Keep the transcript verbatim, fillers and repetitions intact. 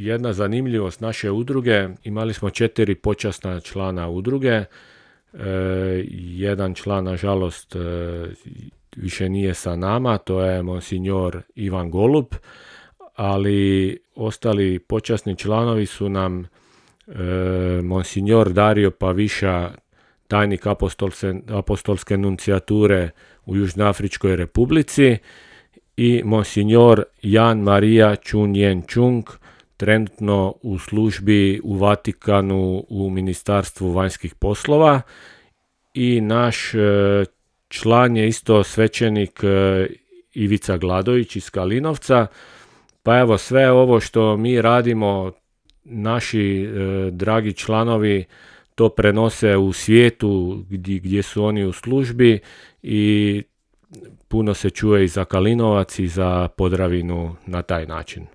jedna zanimljivost naše udruge, imali smo četiri počasna člana udruge, e, jedan član nažalost e, više nije sa nama, to je monsignor Ivan Golub, ali ostali počasni članovi su nam e, monsignor Dario Paviša, tajnik apostolske, apostolske nuncijature u Južnoafričkoj republici, i monsignor Jan Marija Čunjen Čung, trenutno u službi u Vatikanu u Ministarstvu vanjskih poslova, i naš e, član je isto svećenik e, Ivica Gladović iz Kalinovca. Pa evo, sve ovo što mi radimo, naši e, dragi članovi to prenose u svijetu gdje, gdje su oni u službi, i puno se čuje i za Kalinovac i za Podravinu na taj način.